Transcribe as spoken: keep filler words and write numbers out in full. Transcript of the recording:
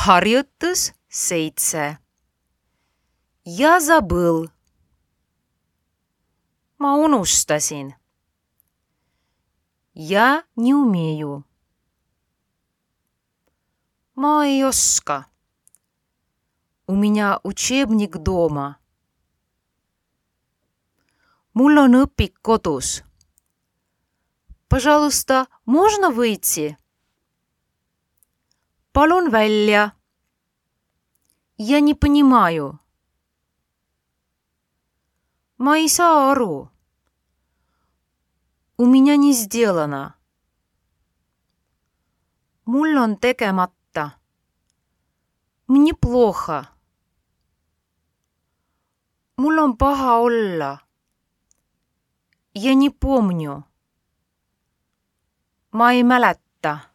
Harjutus seitse. Ja забыл. Ma unustasin. Я не умею. Ma ei oska. У меня учебник дома. Mul on õpik kodus. Пожалуйста, можно выйти? Palun välja. Я не понимаю. Ma ei saa aru. У меня не сделано. Mul on tegemata. Мне плохо. Mul on paha olla. Я не помню. Ma ei mäleta.